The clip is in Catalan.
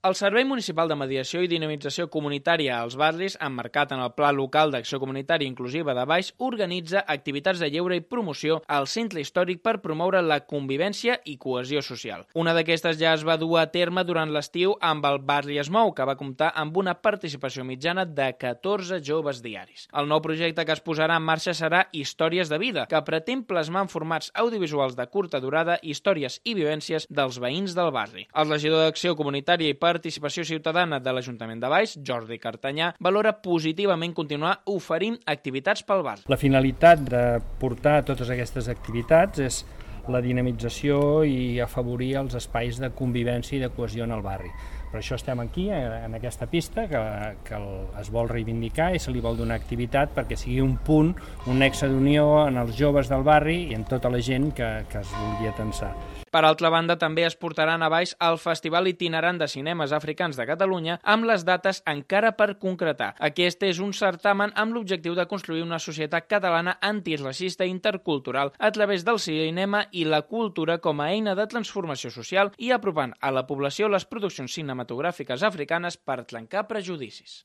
El Servei Municipal de Mediació i Dinamització Comunitària als Barris, emmarcat en el Pla Local d'Acció Comunitària Inclusiva de Baix, organitza activitats de lleure i promoció al centre històric per promoure la convivència i cohesió social. Una d'aquestes ja es va dur a terme durant l'estiu amb el Barri es Mou, que va comptar amb una participació mitjana de 14 joves diaris. El nou projecte que es posarà en marxa serà Històries de Vida, que pretén plasmar en formats audiovisuals de curta durada històries i vivències dels veïns del barri. El regidor d'Acció Comunitària i Participació Ciutadana de l'Ajuntament de Baix, Jordi Cartanyà, valora positivament continuar oferint activitats pel barri. La finalitat de portar totes aquestes activitats és la dinamització i afavorir els espais de convivència i de cohesió en el barri. Per això estem aquí, en aquesta pista, que es vol reivindicar i se li vol donar activitat perquè sigui un punt, un nexe d'unió en els joves del barri i en tota la gent que es vulgui atensar. Per altra banda, també es portaran a Baix el Festival Itinerant de Cinemes Africans de Catalunya amb les dates encara per concretar. Aquest és un certamen amb l'objectiu de construir una societat catalana antiracista i intercultural a través del cinema i la cultura com a eina de transformació social i apropant a la població les produccions cinematogràfiques africanes per trencar prejudicis.